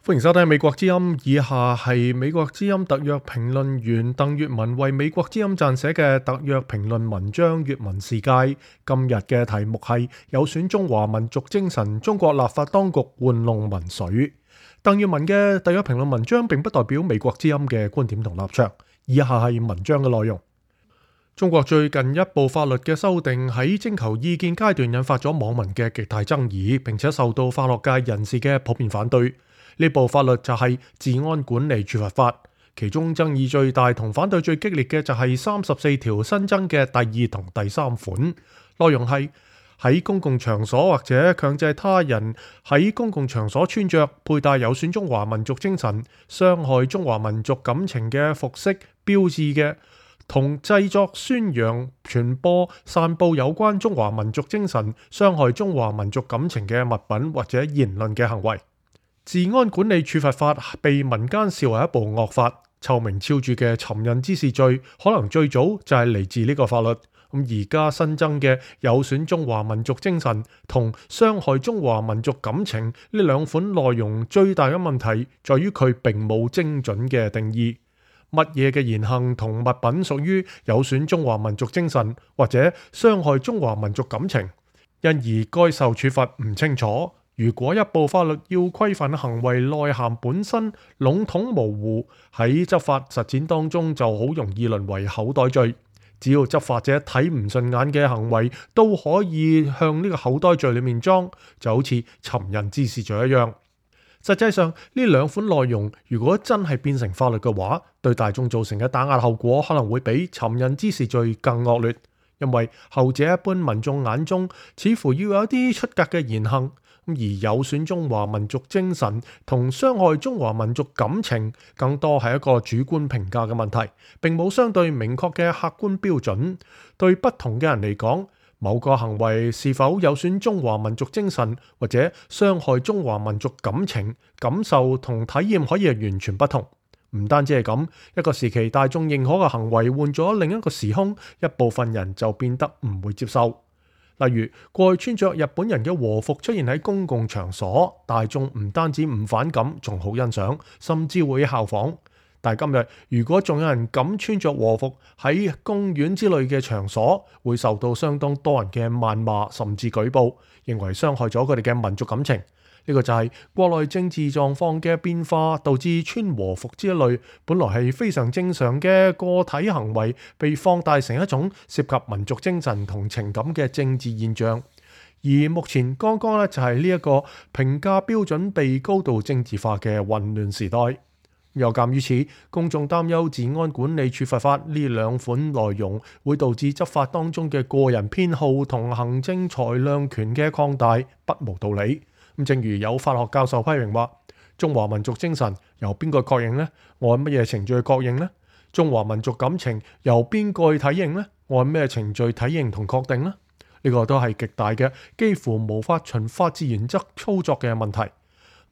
歡迎收聽美國之音，以下係美國之音特約評論員鄧粵文為美國之音撰寫嘅特約評論文章《粵文世界》。今日嘅題目係有損中華民族精神，中國立法當局玩弄民粹。鄧粵文嘅特約評論文章並不代表美國之音嘅觀點同立場。以下係文章嘅內容。中國最近一部法律嘅修訂喺徵求意見階段引發咗網民嘅極大爭議，並且受到法學界人士嘅普遍反對。呢部法律就係治安管理處罰法，其中爭議最大同反對最激烈嘅就係34條新增嘅第2同第3款，內容係喺公共場所或者強制他人喺公共場所穿着佩戴有損中華民族精神、傷害中華民族感情嘅服飾標誌嘅，同製作、宣揚、傳播、散佈有關中華民族精神、傷害中華民族感情嘅物品或者言論嘅行為。治安管理處罰法被民間視為一部惡法，臭名昭著嘅尋釁滋事罪可能最早就係嚟自呢個法律。而家新增嘅有損中華民族精神同傷害中華民族感情呢兩款內容最大嘅問題在於佢並冇精準嘅定義，乜嘢嘅言行同物品屬於有損中華民族精神或者傷害中華民族感情，因而該受處罰唔清楚。如果一部法律要規範行為內涵本身籠統模糊，喺執法實踐當中就好容易淪為口袋罪。只要執法者睇唔順眼嘅行為都可以向呢個口袋罪裏面裝，就好似尋釁滋事罪一樣。實際上呢兩款內容如果真係變成法律嘅話，對大眾造成嘅打壓後果可能會比尋釁滋事罪更惡劣，因為後者一般民眾眼中似乎要有一啲出格嘅言行，而有損中華民族精神同傷害中華民族感情更多係一個主觀評價嘅問題，並冇相對明確嘅客觀標準。對不同嘅人嚟講，某個行為是否有損中華民族精神或者傷害中華民族感情感受同體驗可以係完全不同。唔單止係咁，一個時期大眾認可嘅行為換咗另一個時空，一部分人就變得唔會接受。例如過去穿着日本人嘅和服出現喺公共場所，大眾唔單止唔反感，仲好欣賞，甚至會效仿。但係今日如果仲有人敢穿着和服喺公園之類嘅場所，會受到相當多人嘅謾罵甚至舉報，認為傷害咗佢哋嘅民族感情。呢個就係國內政治狀況嘅變化，導致穿和服之類本來係非常正常嘅個體行為，被放大成一種涉及民族精神同情感嘅政治現象。而目前剛剛就係呢一個評價標準被高度政治化嘅混亂時代。又鑑於此，公眾擔憂治安管理處罰法呢兩款內容會導致執法當中嘅個人偏好同行政裁量權嘅擴大，不無道理。正如有法學教授批評話，中華民族精神由邊個確認呢？按乜嘢程序確認呢？中華民族感情由邊個去體認呢？按咩程序體認同確定呢？呢個都係極大嘅，幾乎無法循法治原則操作嘅問題。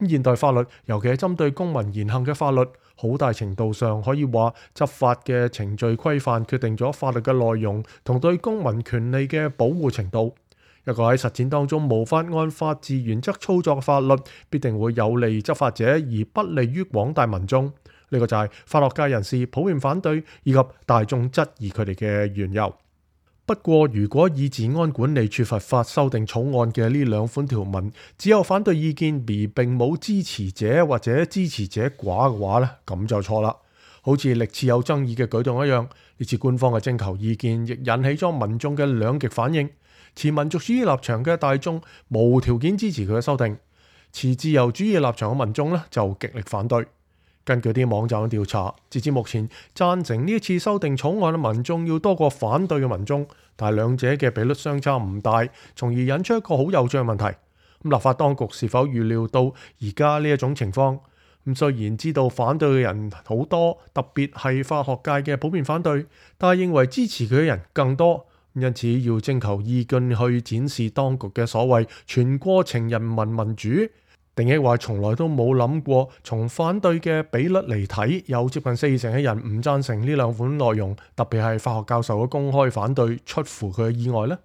現代法律，尤其係針對公民言行嘅法律，好大程度上可以話執法嘅程序規範決定咗法律嘅內容同對公民權利嘅保護程度。一個喺實踐當中無法按法治原則操作嘅法律，必定會有利執法者而不利於廣大民眾。呢個就係法學界人士普遍反對以及大眾質疑佢哋嘅緣由。不過，如果以治安管理處罰法修訂草案嘅呢兩款條文只有反對意見而並冇支持者或者支持者寡嘅話呢，咁就錯啦。好似歷次有爭議嘅舉動一樣，呢次官方嘅徵求意見亦引起咗民眾嘅兩極反應。持民族主義立場嘅大眾無條件支持佢嘅修訂，持自由主義立場嘅民眾呢就極力反對。根據啲網站嘅調查，截至目前贊成呢一次修訂草案嘅民眾要多過反對嘅民眾，但係兩者嘅比率相差唔大，從而引出一個好有趣嘅問題。立法當局是否預料到而家呢一種情況？雖然知道反對嘅人好多，特別係法學界嘅普遍反對，但係認為支持佢嘅人更多。因此要徵求意見去展示當局嘅所謂全過程人民民主，定抑或從來都冇諗過從反對嘅比率嚟睇，有接近40%嘅人唔贊成呢兩款內容，特別係法學教授嘅公開反對出乎佢嘅意外呢？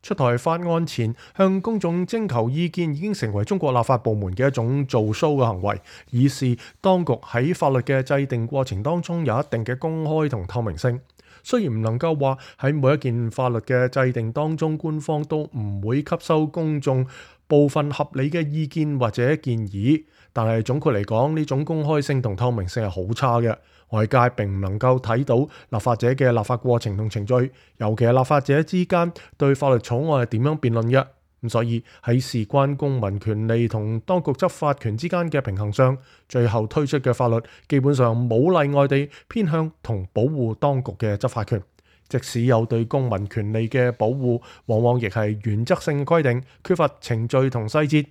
出台法案前向公眾徵求意見已經成為中國立法部門嘅一種做 show 嘅行為，以示當局喺法律嘅制定過程當中有一定嘅公開同透明性。雖然唔能夠話喺每一件法律嘅制定當中，官方都唔會吸收公眾部分合理嘅意見或者建議，但係總括嚟講，呢種公開性同透明性係好差嘅。外界並唔能夠睇到立法者嘅立法過程同程序，尤其係立法者之間對法律草案係點樣辯論嘅。咁所以喺事關公民權利同當局執法權之間嘅平衡上，最後推出嘅法律基本上冇例外地偏向同保護當局嘅執法權。即使有對公民權利嘅保護，往往亦係原則性規定，缺乏程序同細節。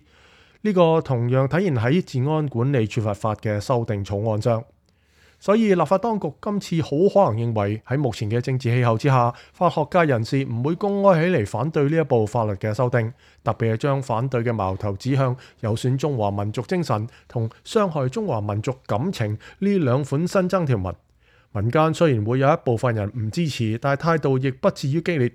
呢個同樣體現喺治安管理處罰法嘅修訂草案上。所以立法當局今次好可能認為喺目前嘅政治氣候之下，法學界人士唔會公開起嚟反對呢一部法律嘅修訂，特別係將反對嘅矛頭指向有損中華民族精神同傷害中華民族感情呢兩款新增條文。民間雖然會有一部分人唔支持，但係態度亦不至於激烈。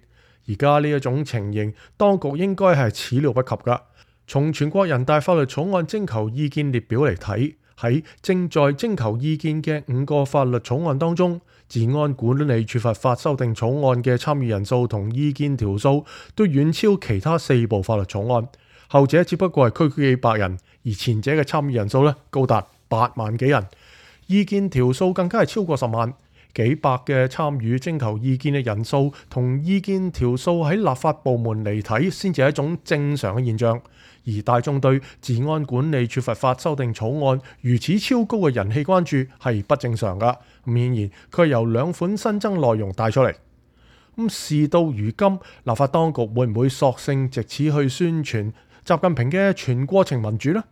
而家呢一種情形，當局應該係始料不及㗎。從全國人大法律草案徵求意見列表嚟睇，喺正在徵求意見嘅5個法律草案當中，治安管理處罰法修訂草案嘅參與人數同意見條數都遠超其他4部法律草案，後者只不過係區區幾百人，而前者嘅參與人數高達8萬幾人，意見條數更加係超過10萬。幾百嘅參與徵求意見嘅人數同意見條數喺立法部門嚟睇先至係一種正常嘅現象，而大眾對治安管理處罰法修訂草案如此超高嘅人氣關注係不正常㗎。咁顯然佢係由2款新增內容帶出嚟。事到如今，立法當局會唔會索性藉此去宣傳習近平嘅全過程民主呢？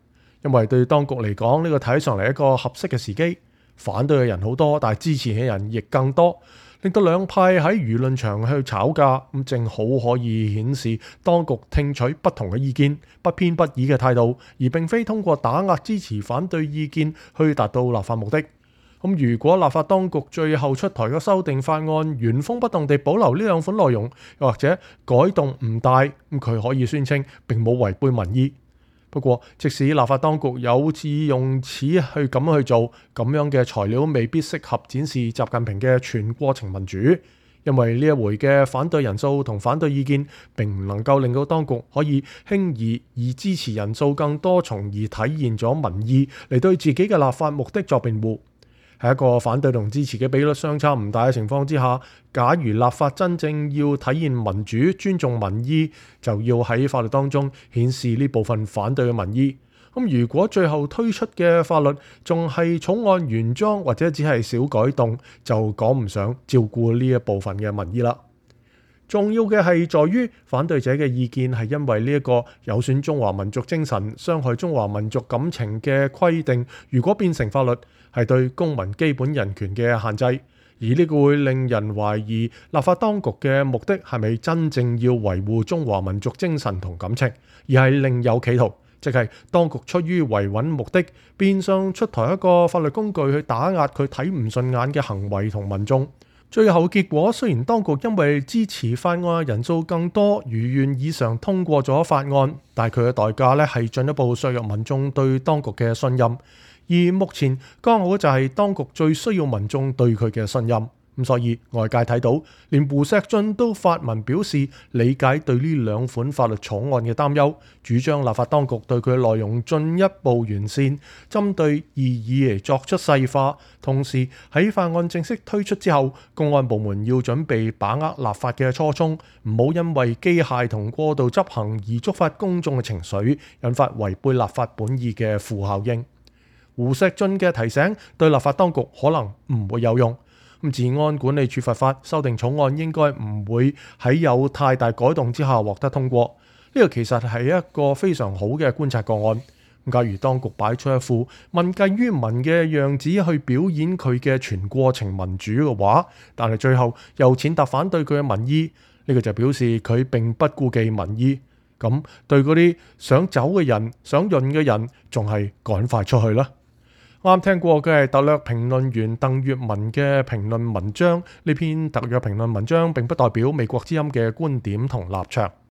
因為對當局嚟講，呢個睇上嚟一個合適嘅時機。反對嘅人好多，但係支持嘅人亦更多，令到兩派喺輿論場去吵架，咁正好可以顯示當局聽取不同嘅意見，不偏不倚嘅態度，而並非通過打壓支持反對意見去達到立法目的。如果立法當局最後出台嘅修訂法案原封不動地保留呢2款內容，又或者改動唔大，咁佢可以宣稱並冇違背民意。不過，即使立法當局有志用此去咁去做，咁樣嘅材料未必適合展示習近平嘅全過程民主，因為呢一回嘅反對人數同反對意見並唔能夠令到當局可以輕易以支持人數更多，從而體現咗民意嚟對自己嘅立法目的作辯護。喺一個反對同支持嘅比率相差唔大嘅情況之下，假如立法真正要體現民主、尊重民意，就要喺法律當中顯示呢部分反對嘅民意。如果最後推出嘅法律仲係草案原裝或者只係小改動，就講唔上照顧呢一部分嘅民意啦。重要嘅係在於反對者嘅意見係因為呢一個有損中華民族精神、傷害中華民族感情嘅規定，如果變成法律，係對公民基本人權嘅限制，而呢個會令人懷疑立法當局嘅目的係咪真正要維護中華民族精神同感情，而係另有企圖，即係當局出於維穩目的，變相出台一個法律工具去打壓佢睇唔順眼嘅行為同民眾。最後結果雖然當局因為支持法案人數更多，如願以償通過咗法案，但係佢嘅代價係進一步削弱民眾對當局嘅信任。而目前剛好就係當局最需要民眾對佢嘅信任，所以外界睇到，連胡錫進都發文表示理解對呢2款法律草案嘅擔憂，主張立法當局對佢嘅內容進一步完善，針對異議嚟作出細化。同時喺法案正式推出之後，公安部門要準備把握立法嘅初衷，唔好因為機械同過度執行而觸發公眾嘅情緒，引發違背立法本意嘅負效應。胡錫進嘅提醒對立法當局可能唔會有用。治安管理處罰法修訂草案應該唔會喺有太大改動之下獲得通過。呢個其實係一個非常好嘅觀察個案。假如當局擺出一副問計於民嘅樣子去表演佢嘅全過程民主嘅話，但係最後又踐踏反對佢嘅民意，呢個就表示佢並不顧忌民意。咁對嗰啲想走嘅人、想潤嘅人，仲係趕快出去啦。啱聽過嘅係特約評論員鄧月文嘅評論文章，呢篇特約評論文章並不代表美國之音嘅觀點同立場。